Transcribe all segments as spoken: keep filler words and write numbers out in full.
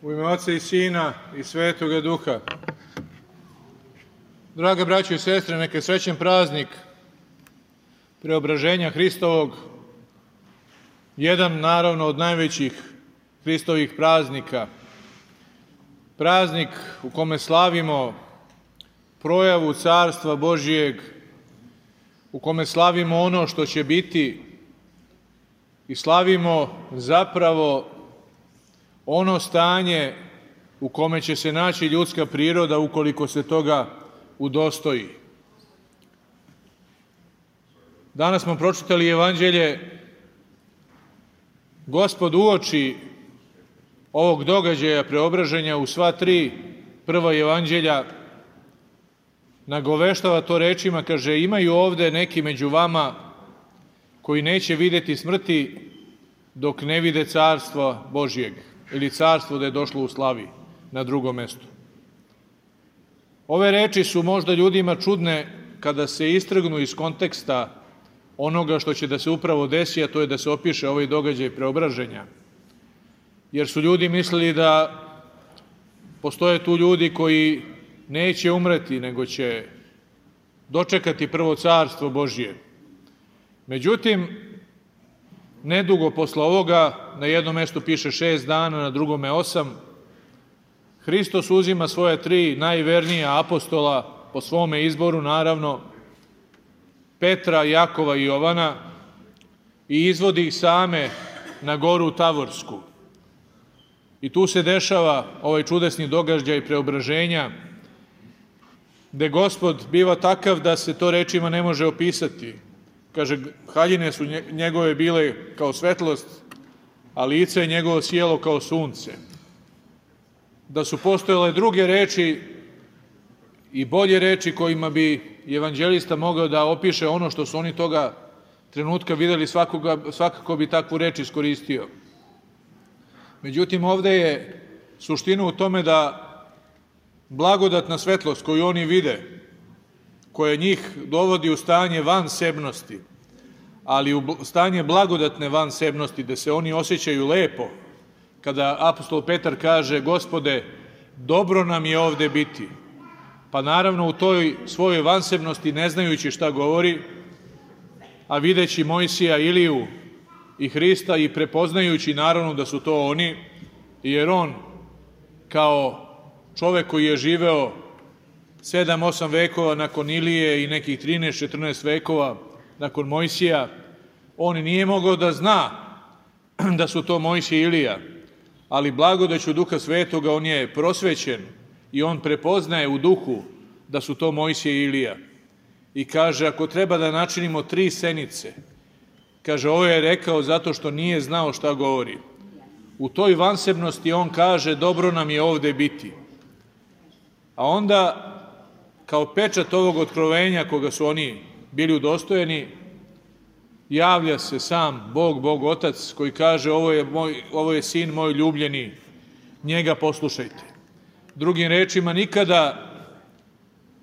U ime Oca i Sina i Svetoga Duha. Draga braćo i sestre, neka je srećan praznik Preobraženja Hristovog, jedan naravno od najvećih Hristovih praznika, praznik u kome slavimo projavu Carstva Božijeg, u kome slavimo ono što će biti i slavimo zapravo ono stanje u kome će se naći ljudska priroda ukoliko se toga udostoji. Danas smo pročitali Evanđelje. Gospod uoči ovog događaja preobraženja u sva tri prva Evanđelja nagoveštava to rečima, kaže: imaju ovde neki među vama koji neće videti smrti dok ne vide Carstva Božijeg, ili carstvo da je došlo u slavi na drugom mestu. Ove reči su možda ljudima čudne kada se istrgnu iz konteksta onoga što će da se upravo desi, a to je da se opiše ovaj događaj preobraženja. Jer su ljudi mislili da postoje tu ljudi koji neće umreti, nego će dočekati prvo Carstvo Božije. Međutim, nedugo posle ovoga, na jednom mestu piše šest dana, na drugome osam, Hristos uzima svoje tri najvernija apostola, po svome izboru naravno, Petra, Jakova i Jovana, i izvodi ih same na goru Tavorsku. I tu se dešava ovaj čudesni događaj preobraženja, gde Gospod biva takav da se to rečima ne može opisati. Kaže, haljine su njegove bile kao svetlost, a lice je njegovo sjelo kao sunce. Da su postojale druge reči i bolje reči kojima bi evanđelista mogao da opiše ono što su oni toga trenutka videli, svakoga, svakako bi takvu reč iskoristio. Međutim, ovde je suština u tome da blagodatna svetlost koju oni vide, koja njih dovodi u stanje vansebnosti, ali u stanje blagodatne vansebnosti, gde se oni osjećaju lepo, kada apostol Petar kaže: Gospode, dobro nam je ovde biti. Pa naravno u toj svojoj vansebnosti, ne znajući šta govori, a videći Mojsija, Iliju i Hrista i prepoznajući naravno da su to oni, jer on kao čovek koji je živeo sedam osam vekova nakon Ilije i nekih trinaest četrnaest vekova nakon Mojsija, on nije mogao da zna da su to Mojsije i Ilija, ali blagodaću Duha Svetoga on je prosvećen i on prepoznaje u duhu da su to Mojsije i Ilija. I kaže, ako treba da načinimo tri senice, kaže, ovo je rekao zato što nije znao šta govori. U toj vansebnosti on kaže: dobro nam je ovde biti. A onda, kao pečat ovog otkrovenja koga su oni bili udostojeni, javlja se sam Bog, Bog Otac, koji kaže: ovo je, moj, ovo je sin moj ljubljeni, njega poslušajte. Drugim rečima, nikada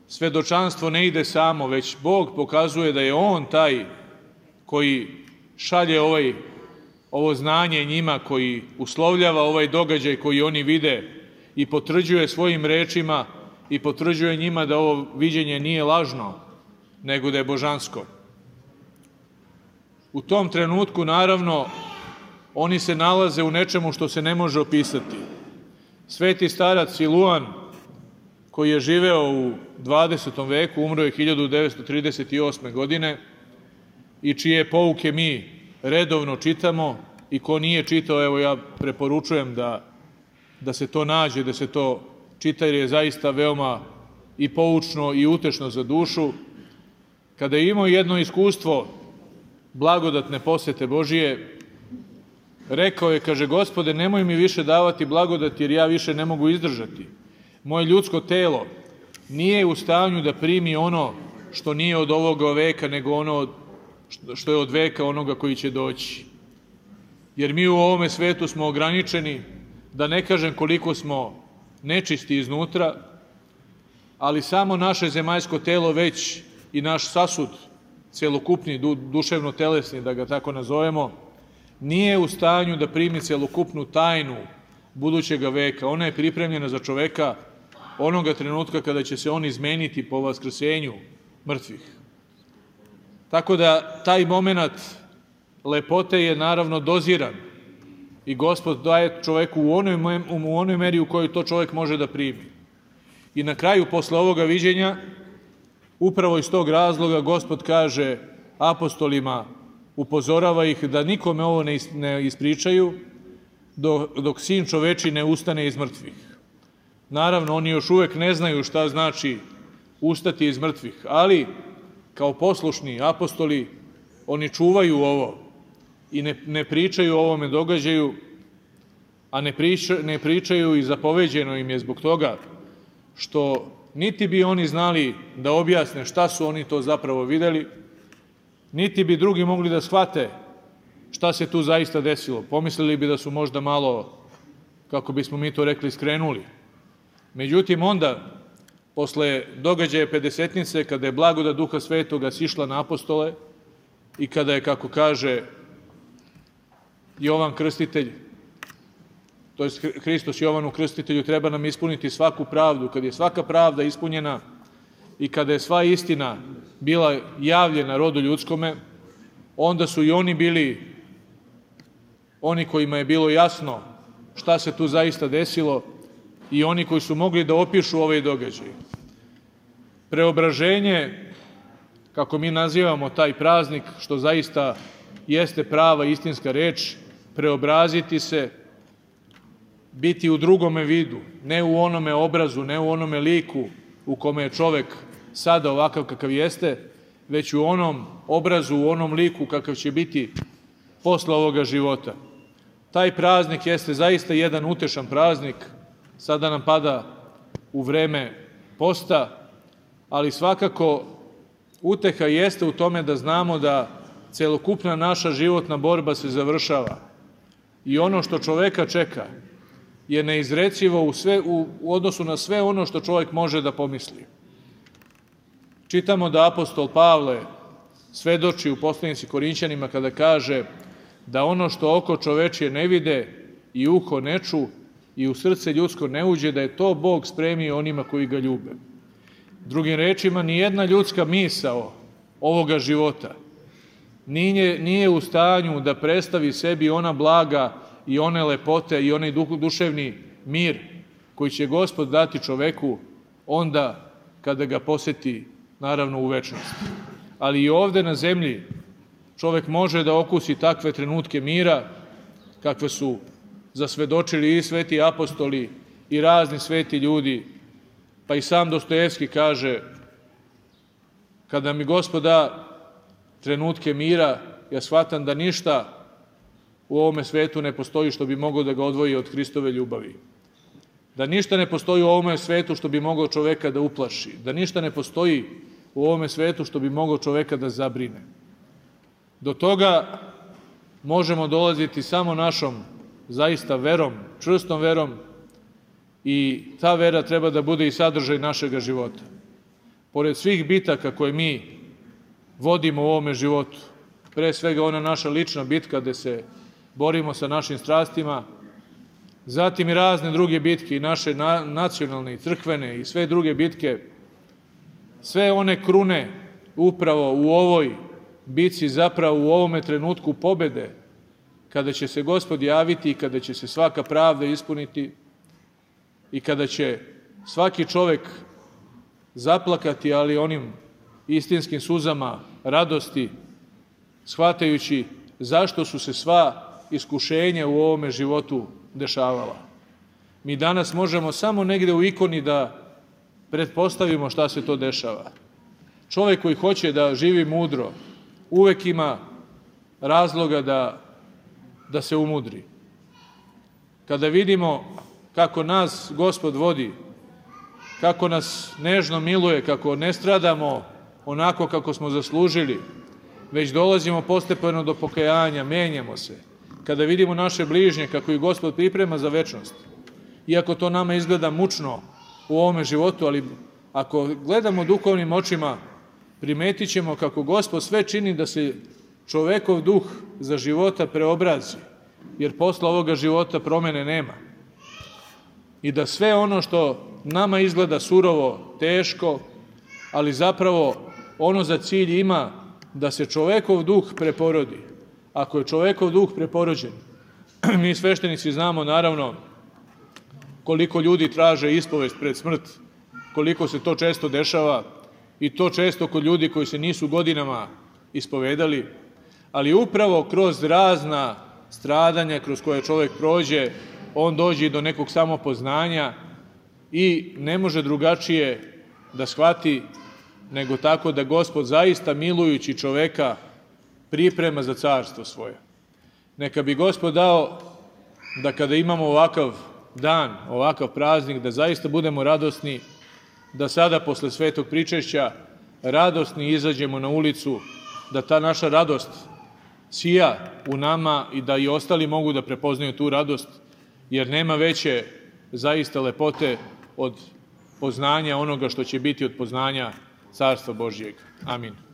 svedočanstvo ne ide samo, već Bog pokazuje da je on taj koji šalje ovaj, ovo znanje njima, koji uslovljava ovaj događaj koji oni vide i potvrđuje svojim rečima i potvrđuje njima da ovo viđenje nije lažno, nego da je božansko. U tom trenutku, naravno, oni se nalaze u nečemu što se ne može opisati. Sveti starac Siluan, koji je živeo u dvadesetom veku, umro je hiljadu devetsto trideset osme. godine i čije pouke mi redovno čitamo, i ko nije čitao, evo ja preporučujem da, da se to nađe, da se to čita, jer je zaista veoma i poučno i utešno za dušu. Kada je imao jedno iskustvo blagodatne posete Božije, rekao je, kaže: Gospode, nemoj mi više davati blagodati, jer ja više ne mogu izdržati. Moje ljudsko telo nije u stanju da primi ono što nije od ovoga veka, nego ono što je od veka onoga koji će doći. Jer mi u ovome svetu smo ograničeni, da ne kažem koliko smo nečisti iznutra, ali samo naše zemaljsko telo već i naš sasud, celokupni, duševno-telesni, da ga tako nazovemo, nije u stanju da primi celokupnu tajnu budućega veka. Ona je pripremljena za čoveka onoga trenutka kada će se on izmeniti po vaskrsenju mrtvih. Tako da taj moment lepote je naravno doziran i Gospod daje čoveku u onoj, u onoj meri u kojoj to čovek može da primi. I na kraju, posle ovoga viđenja, upravo iz tog razloga Gospod kaže apostolima, upozorava ih da nikome ovo ne ispričaju dok, dok sin čoveči ne ustane iz mrtvih. Naravno, oni još uvek ne znaju šta znači ustati iz mrtvih, ali kao poslušni apostoli oni čuvaju ovo i ne, ne pričaju o ovome događaju, a ne, priča, ne pričaju i zapoveđeno im je zbog toga što niti bi oni znali da objasne šta su oni to zapravo videli, niti bi drugi mogli da shvate šta se tu zaista desilo. Pomislili bi da su možda malo, kako bismo mi to rekli, skrenuli. Međutim, onda, posle događaja Pedesetnice, kada je blagodat Duha Svetoga sišla na apostole i kada je, kako kaže Jovan Krstitelj, to je Hristos Jovanu Krstitelju, treba nam ispuniti svaku pravdu. Kad je svaka pravda ispunjena i kada je sva istina bila javljena rodu ljudskome, onda su i oni bili oni kojima je bilo jasno šta se tu zaista desilo i oni koji su mogli da opišu ovaj događaj. Preobraženje, kako mi nazivamo taj praznik, što zaista jeste prava istinska reč, preobraziti se, biti u drugome vidu, ne u onome obrazu, ne u onome liku u kome je čovek sada ovakav kakav jeste, već u onom obrazu, u onom liku kakav će biti posle ovoga života. Taj praznik jeste zaista jedan utešan praznik, sada nam pada u vreme posta, ali svakako uteha jeste u tome da znamo da celokupna naša životna borba se završava i ono što čoveka čeka je neizrecivo u, sve, u, u odnosu na sve ono što čovek može da pomisli. Čitamo da apostol Pavle svedoči u poslanici Korinćanima kada kaže da ono što oko čovečije ne vide i uho ne ču i u srce ljudsko ne uđe, da je to Bog spremio onima koji ga ljube. Drugim rečima, nijedna ljudska misao ovoga života nije, nije u stanju da predstavi sebi ona blaga i one lepote i onaj duševni mir koji će Gospod dati čoveku onda kada ga poseti, naravno, u večnosti. Ali i ovde na zemlji čovek može da okusi takve trenutke mira kakve su zasvedočili i sveti apostoli i razni sveti ljudi, pa i sam Dostojevski kaže: kada mi Gospod da trenutke mira, ja shvatam da ništa u ovome svetu ne postoji što bi moglo da ga odvoji od Hristove ljubavi. Da ništa ne postoji u ovome svetu što bi moglo čoveka da uplaši. Da ništa ne postoji u ovome svetu što bi moglo čoveka da zabrine. Do toga možemo dolaziti samo našom zaista verom, čvrstom verom, i ta vera treba da bude i sadržaj našega života. Pored svih bitaka koje mi vodimo u ovome životu, pre svega ona naša lična bitka gde se borimo sa našim strastima, zatim i razne druge bitke, i naše nacionalne, i crkvene, i sve druge bitke, sve one krune upravo u ovoj bitci, zapravo u ovome trenutku pobede, kada će se Gospod javiti i kada će se svaka pravda ispuniti i kada će svaki čovek zaplakati, ali onim istinskim suzama radosti, shvatajući zašto su se sva iskušenja u ovome životu dešavala. Mi danas možemo samo negde u ikoni da pretpostavimo šta se to dešava. Čovek koji hoće da živi mudro uvek ima razloga da, da se umudri. Kada vidimo kako nas Gospod vodi, kako nas nežno miluje, kako ne stradamo onako kako smo zaslužili, već dolazimo postepeno do pokajanja, menjamo se. Kada vidimo naše bližnje, kako ih Gospod priprema za večnost, iako to nama izgleda mučno u ovome životu, ali ako gledamo duhovnim očima, primetit ćemo kako Gospod sve čini da se čovekov duh za života preobrazi, jer posle ovoga života promene nema. i da sve ono što nama izgleda surovo, teško, ali zapravo ono za cilj ima da se čovekov duh preporodi. Ako je čovekov duh preporođen, mi sveštenici znamo naravno koliko ljudi traže ispovest pred smrt, koliko se to često dešava i to često kod ljudi koji se nisu godinama ispovedali, ali upravo kroz razna stradanja kroz koje čovek prođe, on dođe do nekog samopoznanja i ne može drugačije da shvati nego tako da Gospod zaista milujući čoveka priprema za carstvo svoje. Neka bi Gospod dao da kada imamo ovakav dan, ovakav praznik, da zaista budemo radosni, da sada posle svetog pričešća radosni izađemo na ulicu, da ta naša radost sija u nama i da i ostali mogu da prepoznaju tu radost, jer nema veće zaista lepote od poznanja onoga što će biti od poznanja Carstva Božjeg. Amin.